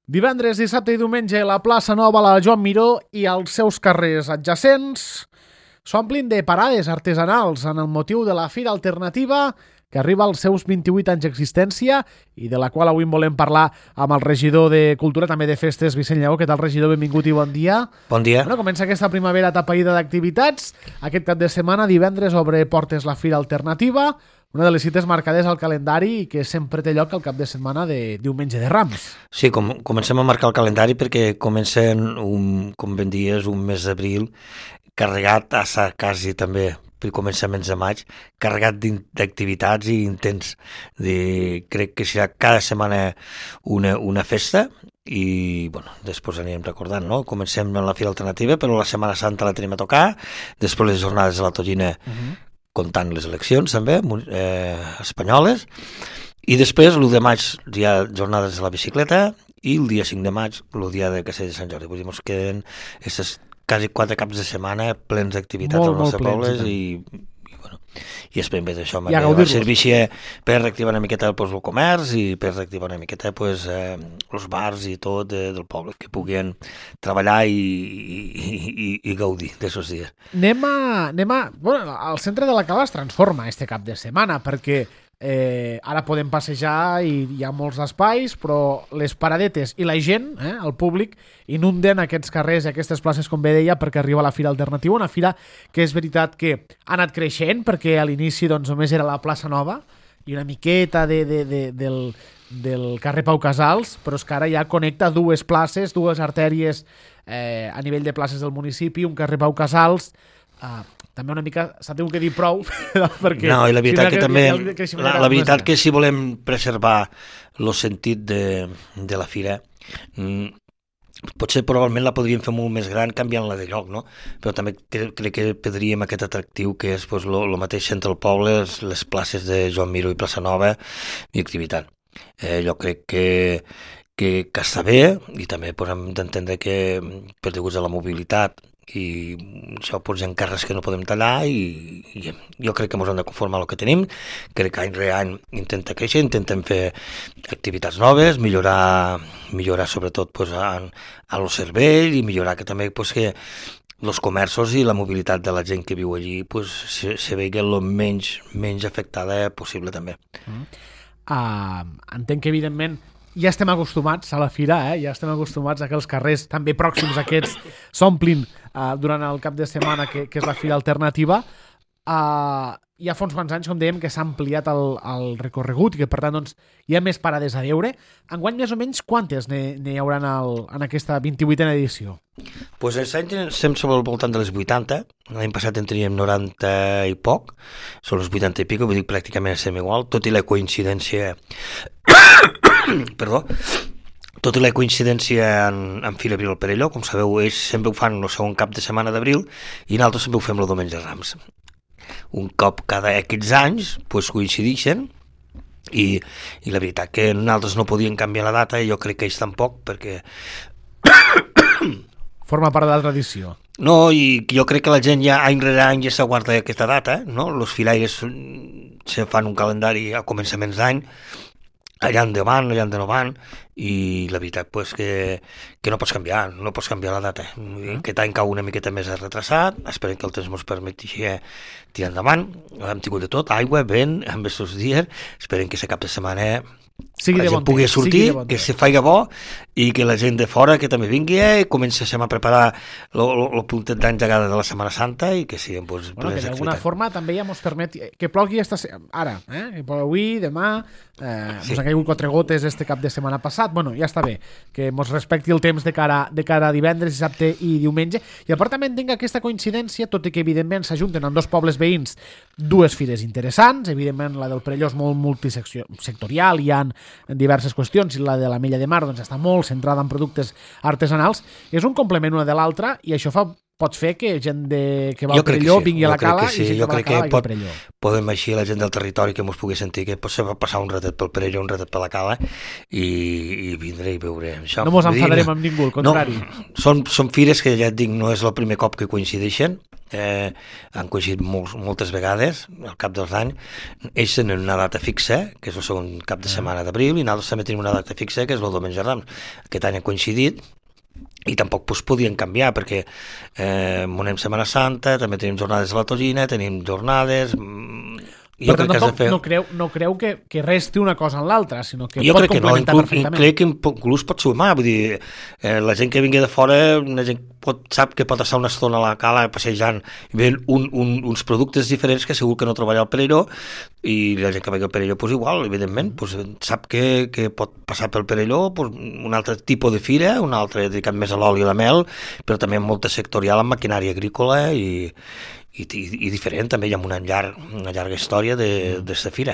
Divendres, dissabte i diumenge, la plaça Nova, la Joan Miró i els seus carrers adjacents s'omplin de parades artesanals en el motiu de la Fira Alternativa que arriba als seus 28 anys d'existència i de la qual avui en volem parlar amb el regidor de Cultura, també de Festes, Vicent Lleó. Què tal, regidor? Benvingut i bon dia. Bon dia. Bueno, comença aquesta primavera atapeïda d'activitats. Aquest cap de setmana, divendres, obre portes la Fira Alternativa, una de les cites marcades al calendari i que sempre té lloc al cap de setmana de diumenge de Rams. Sí, comencem a marcar el calendari perquè comencen, com ben dies, un mes d'abril carregat a quasi també per començaments de maig, carregat d'activitats i intens. Crec que serà cada setmana una festa i bueno, després anirem recordant, no? Comencem amb la Fira Alternativa, però la Setmana Santa la tenim a tocar, després les jornades de la Tonyina, comptant les eleccions també, espanyoles, i després l'1 de maig hi ha jornades de la bicicleta i el dia 5 de maig el dia de Castell de Sant Jordi. Vull dir, ens queden aquestes quasi 4 caps de setmana plens d'activitats als nostres pobles i esperem bé d'això. Servici per reactivar una miqueta el comerç i per reactivar una miqueta els bars i tot del poble, que puguin treballar i gaudir d'aquests dies. Bueno, el centre de la Cala es transforma este cap de setmana perquè ara podem passejar i hi ha molts espais, però les paradetes i la gent, el públic, inunden aquests carrers i aquestes places, com bé deia, perquè arriba la Fira Alternativa, una fira que és veritat que ha anat creixent, perquè a l'inici doncs, només era la plaça Nova i una miqueta del carrer Pau Casals, però és que ara ja connecta dues places, dues artèries a nivell de places del municipi, un carrer Pau Casals, també una mica s'ha tingut que dir prou perquè no, i la veritat que també la veritat que si volem preservar el sentit de la fira potser probablement la podríem fer molt més gran canviant-la de lloc, no? Però també crec que perdríem aquest atractiu que és el mateix centre del poble, les places de Joan Miró i Plaça Nova i activitat. Jo crec que està bé i també hem d'entendre que per deguts a la mobilitat i això hi ha carrers que no podem tallar i jo crec que ens hem de conformar el que tenim. Crec que any rere any intenta créixer, intentem fer activitats noves, millorar sobretot a lo cervell i millorar que també que els comerços i la mobilitat de la gent que viu allí se vegi el menys afectada possible també. Entenc que evidentment ja estem acostumats a la fira, ja estem acostumats a que els carrers també pròxims a aquests s'omplin durant el cap de setmana que és la Fira Alternativa. Hi ha fa uns quants anys, com dèiem, que s'ha ampliat el recorregut i que per tant doncs, hi ha més parades a veure. Enguany més o menys quantes n'hi haurà en aquesta 28a edició? Pues aquest any estem sobre el voltant de les 80, l'any passat en teníem 90 i poc, són les 80 i pico, vull dir pràcticament estem igual, tot i la coincidència en Fira Abril al Perelló. Com sabeu, ells sempre ho fan el segon cap de setmana d'abril i nosaltres sempre ho fem el diumenge de Rams. Un cop cada X anys coincideixen i la veritat que nosaltres no podíem canviar la data i jo crec que ells tampoc perquè forma part de la tradició. No, i jo crec que la gent ja any rere any ja s'aguarda aquesta data, no? Els filaires se fan un calendari a començaments d'any, allà endavant, allà endavant, i la veritat que no pots canviar la data. Aquest any cau una miqueta més retrasat, esperem que el temps ens permeti tirar endavant. Hem tingut de tot, aigua, vent, en aquests dies, esperem que aquest cap de setmana la gent pugui sortir, que se faci bo i que la gent de fora que també vingui i comencem a preparar el puntet d'engegada de la Setmana Santa i que siguem que d'alguna forma també ja ens permet que plogui ara, que avui, demà ens han caigut 4 gotes este cap de setmana passat, bueno, ja està bé que ens respecti el temps de cara a divendres, dissabte i diumenge, i a part també entenc aquesta coincidència, tot i que evidentment s'ajunten en dos pobles veïns dues fires interessants, evidentment la del Perelló és molt multisectorial, hi ha diverses qüestions, i la de l'Ametlla de Mar doncs està molt centrada en productes artesanals, és un complement una de l'altra i això fa pots fer que gent que va Jo al crec que Perelló sí, vingui a la jo crec Cala que sí, i gent jo que va a la crec que Cala vingui al Perelló. podem així la gent del territori que mos pugui sentir que pot ser passar un ratet pel Perelló, un ratet per la Cala i vindré i veuré això. No mos enfadarem amb ningú, al contrari. No, són fires que ja et dic, no és el primer cop que coincideixen, han coincidit moltes vegades al cap dels anys. Ells tenen una data fixa, que és el segon cap de setmana d'abril, i nosaltres també tenim una data fixa, que és el diumenge Rams. Aquest any han coincidit, i tampoc podien canviar, perquè monem Setmana Santa, també tenim jornades de la Togina, tenim jornades... Per tant, no creu que resti una cosa en l'altra, sinó que jo pot crec que no, complementar crec que inclús pot sumar, vull dir, la gent que vingui de fora, la gent sap que pot estar una estona a la Cala passejant i veient uns productes diferents que segur que no trobarà al Perelló, i la gent que vagi al Perelló, pues igual, evidentment, pues, sap que pot passar pel Perelló pues, un altre tipus de fira, un altre dedicat més a l'oli i la mel, però també molta sectorial en maquinària agrícola i diferent, també hi ha una llarga història d'esta fira.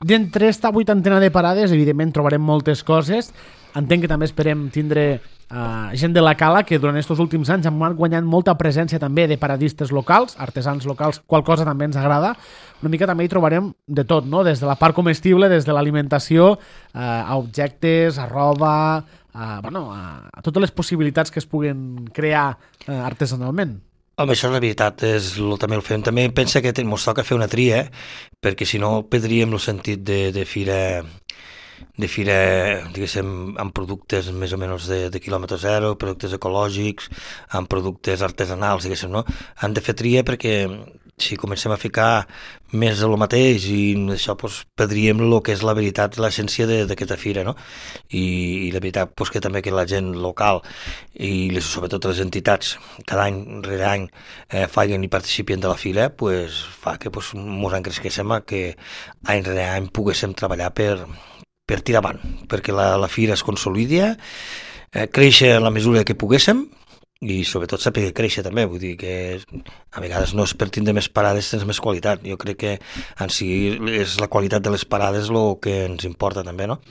D'entre esta vuitantena de parades, evidentment trobarem moltes coses. Entenc que també esperem tindre gent de la Cala que durant aquests últims anys han guanyat molta presència també de paradistes locals, artesans locals, qual cosa també ens agrada. Una mica també hi trobarem de tot, no? Des de la part comestible, des de l'alimentació, a objectes, a roba, a totes les possibilitats que es puguen crear artesanalment. Home, això és la veritat, també el fem. També pensa que ens toca fer una tria, perquè si no perdríem el sentit de fira, diguéssim, amb productes més o menys de quilòmetre zero, productes ecològics, amb productes artesanals, diguéssim, no? Han de fer tria perquè si comencem a ficar més de lo mateix i això doncs, perdríem el que és la veritat, l'essència d'aquesta fira, no? I la veritat doncs, que també que la gent local i sobretot les entitats cada any rere any facin i participin de la fira, doncs, fa que doncs, mos encresquéssim que any rere any poguéssim treballar per tirar avant, perquè la fira es consolidi, créixer en la mesura que poguéssim i sobretot saber créixer també, vull dir que a vegades no és per tindre més parades tens més qualitat, jo crec que en si és la qualitat de les parades el que ens importa també, no?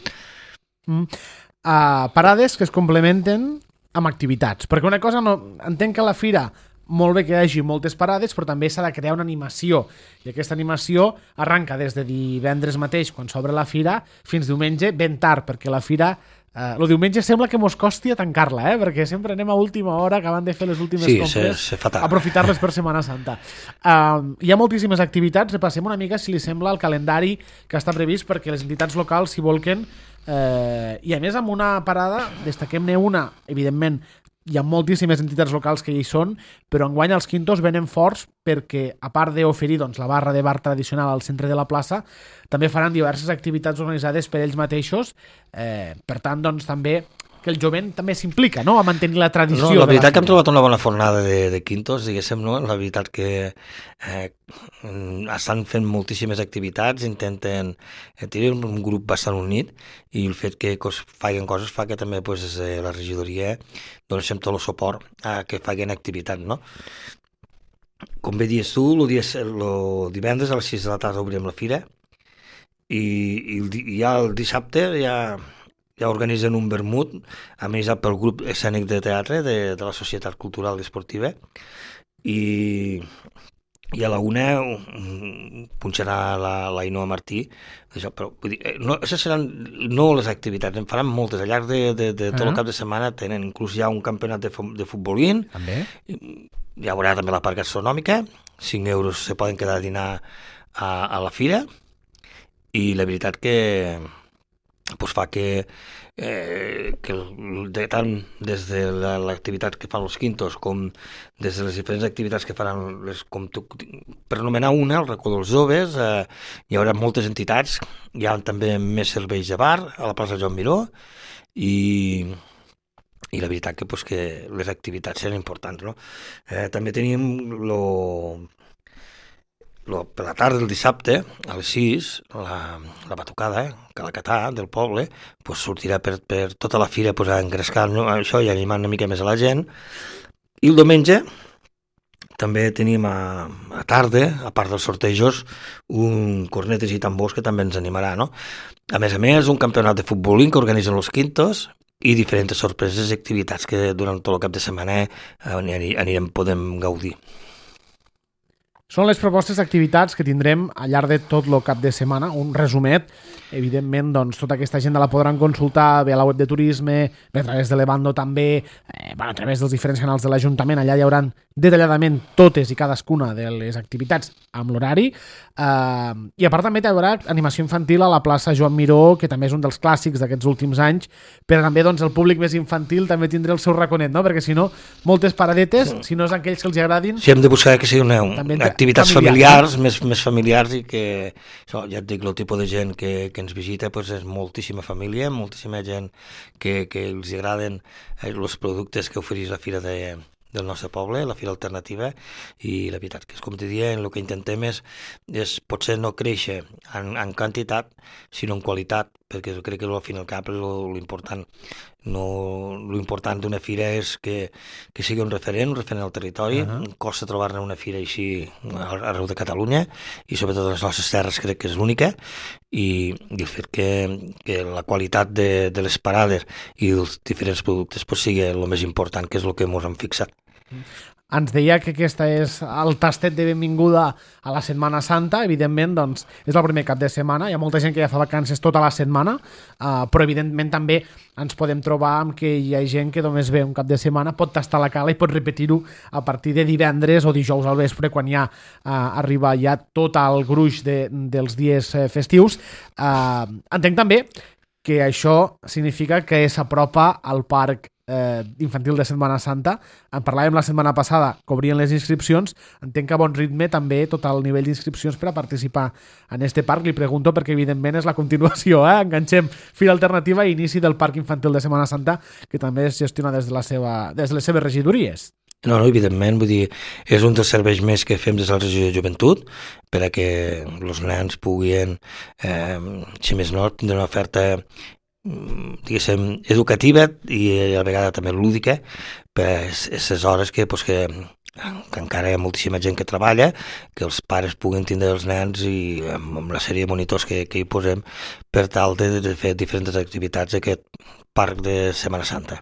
Parades que es complementen amb activitats, perquè una cosa entenc que a la fira molt bé que hi hagi moltes parades, però també s'ha de crear una animació, i aquesta animació arranca des de divendres mateix, quan s'obre la fira, fins diumenge, ben tard, perquè la fira, el diumenge sembla que mos costi a tancar-la, perquè sempre anem a última hora, acabant de fer les últimes compres, aprofitar-les per Setmana Santa. Hi ha moltíssimes activitats, repassem una mica, si li sembla, el calendari que està previst, perquè les entitats locals s'hi volquen, i a més amb una parada, destaquem-ne una, evidentment, hi ha moltíssimes entitats locals que hi són, però enguany els quintos venen forts perquè, a part d'oferir la barra de bar tradicional al centre de la plaça, també faran diverses activitats organitzades per ells mateixos. Per tant, també que el jovent també s'implica, no?, a mantenir la tradició. No, la veritat que hem trobat una bona fornada de quintos, diguéssim, no? La veritat que estan fent moltíssimes activitats, intenten tenir un grup bastant unit, i el fet que facin coses fa que també la regidoria donem tot el suport a que facin activitat, no? Com bé dius tu, el divendres a les 6 de la tarda obrim la fira, i ja el dissabte ja organitzen un vermut organitzat pel grup escènic de teatre de la Societat Cultural i Esportiva, i a la 1 punxarà l'Ainoa Martí, però vull dir, això seran no les activitats, en faran moltes al llarg de tot el cap de setmana. Tenen inclús ja un campionat de futbolín, hi haurà també la part gastronòmica, 5 euros se poden quedar a dinar a la fira, i la veritat que fa que tant des de l'activitat que fan els quintos com des de les diferents activitats que faran, per anomenar una, el racó dels joves, hi haurà moltes entitats, hi ha també més serveis de bar a la plaça Joan Miró, i la veritat que les activitats seran importants, no? També tenim per la tarda del dissabte, a les 6, la batucada, Calacatà, del poble, sortirà per tota la fira a engrescar això i animar una mica més a la gent. I el diumenge també tenim a tarda, a part dels sortejos, un cornetes i tambors que també ens animarà, no? A més, un campionat de futbolín que organitzen els quintos, i diferents sorpreses i activitats que durant tot el cap de setmana podem gaudir. Són les propostes d'activitats que tindrem al llarg de tot el cap de setmana, un resumet. Evidentment, doncs, tota aquesta agenda la podran consultar bé a la web de turisme, bé a través de l'Evando també, a través dels diferents canals de l'Ajuntament. Allà hi haurà detalladament totes i cadascuna de les activitats amb l'horari. I a part també hi haurà animació infantil a la plaça Joan Miró, que també és un dels clàssics d'aquests últims anys, però també doncs, el públic més infantil també tindrà el seu raconet, no? Perquè si no, moltes paradetes, si no és aquells que els agradin... Sí, hem de buscar que sigui una activitats familiars, més familiars, i que, això, ja et dic, el tipus de gent que ens visita pues, és moltíssima família, moltíssima gent que els agraden els productes que ofereix la fira del nostre poble, la fira alternativa, i la veritat que és com te deia, el que intentem és potser no créixer en quantitat, sinó en qualitat, perquè crec que al fin i al cap l'important l'important d'una fira és que sigui un referent al territori. Costa trobar-ne una fira així arreu de Catalunya, i sobretot a les nostres terres crec que és l'única, i el fet que la qualitat de les parades i dels diferents productes pues, sigui el més important, que és el que ens hem fixat. Ens deia que aquesta és el tastet de benvinguda a la Setmana Santa. Evidentment, doncs, és el primer cap de setmana. Hi ha molta gent que ja fa vacances tota la setmana, però evidentment també ens podem trobar amb que hi ha gent que només ve un cap de setmana, pot tastar la cala i pot repetir-ho a partir de divendres o dijous al vespre, quan ja arriba ja tot el gruix dels dies festius. Entenc també que això significa que s'apropa al parc infantil de Setmana Santa. En parlàvem la setmana passada, que obrien les inscripcions. Entenc que a bon ritme també tot el nivell d'inscripcions per a participar en este parc. Li pregunto perquè evidentment és la continuació, enganxem Fira Alternativa i inici del parc infantil de Setmana Santa, que també es gestiona des de les seves regidories. No, evidentment, vull dir, és un dels serveis més que fem des de la regió de joventut per a que els nens puguin, si més no, tindre una oferta diguéssim, educativa i a la vegada també lúdica per aquestes hores que encara hi ha moltíssima gent que treballa, que els pares puguin tindre els nens i amb la sèrie de monitors que hi posem per tal de fer diferents activitats d'aquest parc de Setmana Santa.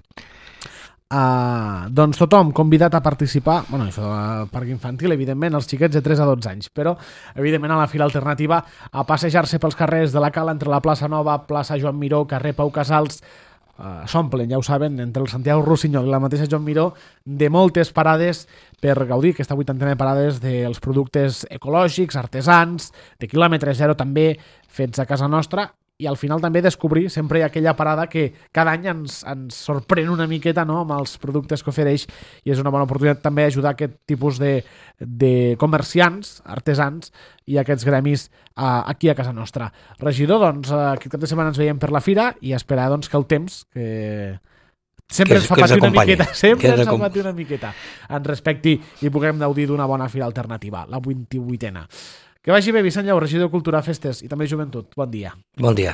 Doncs tothom convidat a participar, això del parc infantil, evidentment, els xiquets de 3 a 12 anys, però evidentment a la Fira Alternativa a passejar-se pels carrers de la Cala, entre la plaça Nova, plaça Joan Miró, carrer Pau Casals, s'omplen, ja ho saben, entre el Santiago Rossinyol i la mateixa Joan Miró, de moltes parades per gaudir aquesta 80a parades dels productes ecològics, artesans, de quilòmetre zero també, fets a casa nostra, i al final també descobrir, sempre hi ha aquella parada que cada any ens sorprèn una miqueta, no?, amb els productes que ofereix, i és una bona oportunitat també ajudar aquest tipus de comerciants, artesans i aquests gremis aquí a casa nostra. Regidor, doncs aquest cap de setmana ens veiem per la fira i esperar doncs, que el temps, que sempre ens fa patir una miqueta, ens respecti i puguem gaudir d'una bona fira alternativa, la 28a. Que vagi bé, Vicent Lleó, regidor de Cultura, Festes i també Joventut. Bon dia. Bon dia.